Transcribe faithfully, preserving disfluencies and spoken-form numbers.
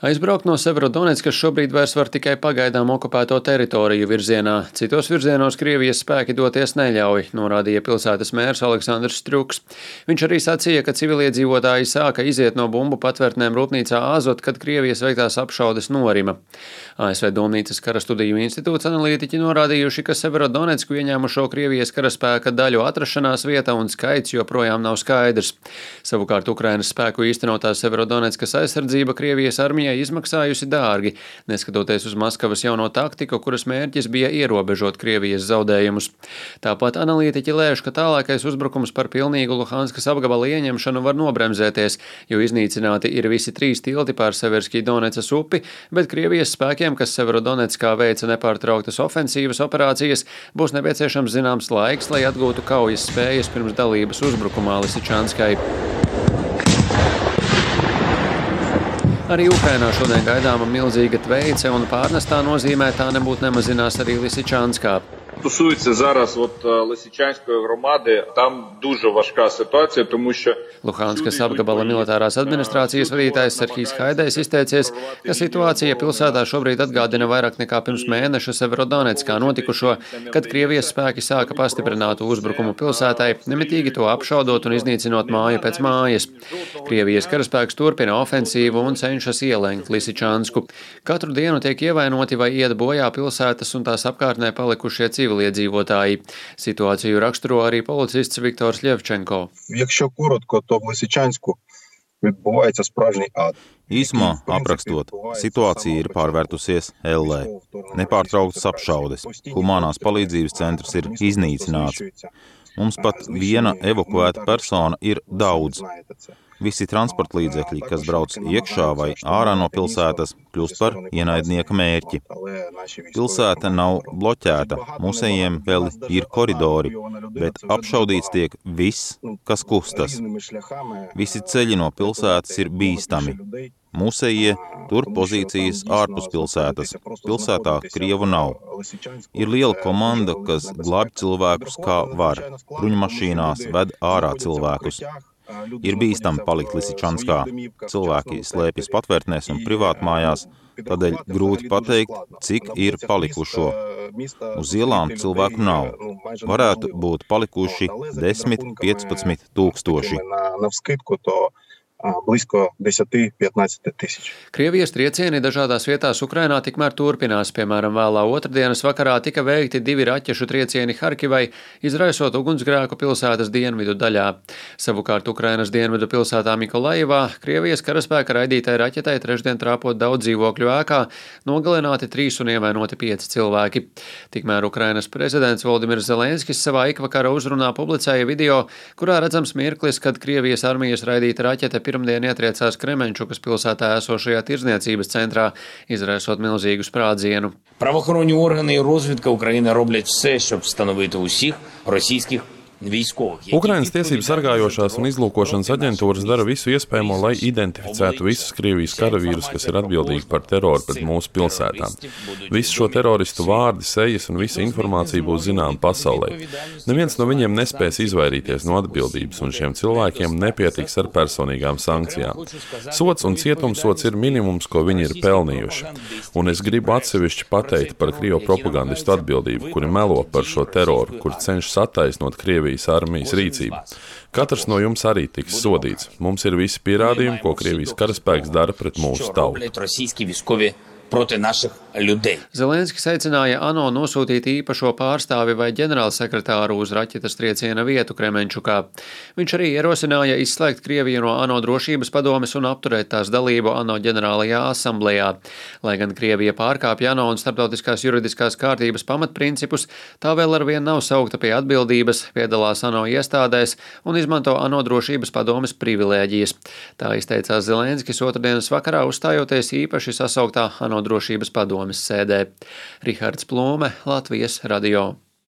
Aizbraukt no Severodoneckas šobrīd vairs var tikai pagaidām okupēto teritoriju virzienā. Citos virzienos Krievijas spēki doties neļauj, norādīja pilsētas mērs Aleksandrs Strjuks. Viņš arī sacīja, ka civiliedzīvotāji sāka iziet no bumbu patvērtnēm rūpnīcā Azot, kad Krievijas veiktās apšaudes norima. A S V Domnīcas kara studiju institūts analītiķi norādījuši, ka Severodonecku ieņēmušo Krievijas karaspēka daļu atrašanās vieta un skaits joprojām nav skaidrs. Savukārt Ukrainas spēku īstenotā Severodoneckas aizsardzība Krievijas armijai izmaksājusi dārgi, neskatoties uz Maskavas jauno taktiku, kuras mērķis bija ierobežot Krievijas zaudējumus. Tāpat analītiķi lēš, ka tālākais uzbrukums par pilnīgu Luhanskas apgabala ieņemšanu var nobremzēties, jo iznīcināti ir visi trīs tilti pār Severskij-Donecas upi, bet Krievijas spēkiem, kas Severodonetskā veica nepārtrauktas ofensīvas operācijas, būs nepieciešams zināms laiks, lai atgūtu kaujas spējas pirms dalības uzbrukumā Lisičanskai. Arī Ukrainā šodien gaidāma milzīga tveice, un pārnestā nozīmē tā nebūtu nemazinās arī Lisičanskā. Стосується зараз от Лисичанської громади, там дуже важка ситуація, тому що Luhanskas apgabala militārās administrācijas vadītājs Serhijs Haidejs izteicies, ka situācija pilsētā šobrīd atgādina vairāk nekā pirms mēneša Severodonetskā notikušo, kad Krievijas spēki sāka pastiprinātu uzbrukumu pilsētai, nemitīgi to apšaudot un iznīcinot māju pēc mājas. Krievijas karaspēks turpina ofensīvu un cenšas ielenkt Lisičansku. Katru dienu tiek ievainoti vai iet bojā pilsētas un tās apkārtnē palikušie civiliedzīvotāji. Situāciju raksturo arī policists Viktors Ļevčenko. Якщо коротко, то в Лисичанську відбувається справжній ад. Īsumā aprakstot, situācija ir pārvērtusies ellē. Nepārtrauktas apšaudes. Humanās palīdzības centrs ir iznīcināts. Mums pat viena evakuēta persona ir daudz. Visi transporta līdzekļi, kas brauc iekšā vai ārā no pilsētas, kļūst par ienaidnieka mērķi. Pilsēta nav bloķēta, mūsējiem vēl ir koridori, bet apšaudīts tiek viss, kas kustas. Visi ceļi no pilsētas ir bīstami. Mūsējie tur pozīcijas ārpus pilsētas. Pilsētā Krievu nav. Ir liela komanda, kas glābj cilvēkus kā var. Bruņmašīnās ved ārā cilvēkus. Ir bīstami palikt Lisičanskā. Cilvēki slēpjas patvērtnēs un privātmājās, tādēļ grūti pateikt, cik ir palikušo. Uz ielām cilvēku nav. Varētu būt palikuši desmit līdz piecpadsmit tūkstoši. Близько desmit-piecpadsmit tūkstoši. Krievijas triecieni dažādās vietās Ukrainā tikmēr turpinās. Piemēram, vēlā otrdienas vakarā tika veikti divi raķešu triecieni Harkivai, izraisot ugunsgrēku pilsētas dienvidu daļā. Savukārt Ukrainas dienvidu pilsētā Mikolaivā Krievijas karaspēka raidītai raķetai trešdien trāpot daudz dzīvokļu ēkā, nogalināti trīs un ievainoti pieci cilvēki. Tikmēr Ukrainas prezidents Voldimirs Zelenskis savā ikvakara uzrunā publicēja video, kurā redzams mirklis, kad Krievijas armijas raidīta raķete pirmdien ietriecās Kremenčukas pilsētā esošajā tirdzniecības centrā, izraisot milzīgu sprādzienu. Правоохоронні органи і розвідка України роблять все, щоб встановити усіх російських Ukrainas tiesību sargājošās un izlūkošanas aģentūras dara visu iespējamo, lai identificētu visus Krievijas karavīrus, kas ir atbildīgi par teroru pret mūsu pilsētām. Visu šo teroristu vārdi, sejas un visa informācija būs zināma pasaulē. Neviens no viņiem nespēs izvairīties no atbildības, un šiem cilvēkiem nepietiks ar personīgām sankcijām. Sots un cietumsots ir minimums, ko viņi ir pelnījuši. Un es gribu atsevišķi pateikt par Krievu propagandistu atbildību, kuri melo par šo teroru, kuri cenšas attaisnot Krievijas armijas rīcību. Katrs no jums arī tiks sodīts. Mums ir visi pierādījumi, ko Krievijas karaspēks dara pret mūsu tautu. Zelenskis aicināja ANO nosūtīt īpašo pārstāvi vai ģenerālsekretāru uz raķetes trieciena vietu Kremenčukā. Viņš arī ierosināja izslēgt Krieviju no ANO drošības padomes un apturēt tās dalību ANO ģenerālajā asamblejā. Lai gan Krievija pārkāpja ANO un starptautiskās juridiskās kārtības pamatprincipus, tā vēl arvien nav saukta pie atbildības, piedalās ANO iestādēs un izmanto ANO drošības padomes privilēģijas. Tā izteicās Zelenskis otrdienas vakarā, uzstājoties īpaši sasauktā ANO drošības padomes sēdē. Rihards Plūme, Latvijas radio.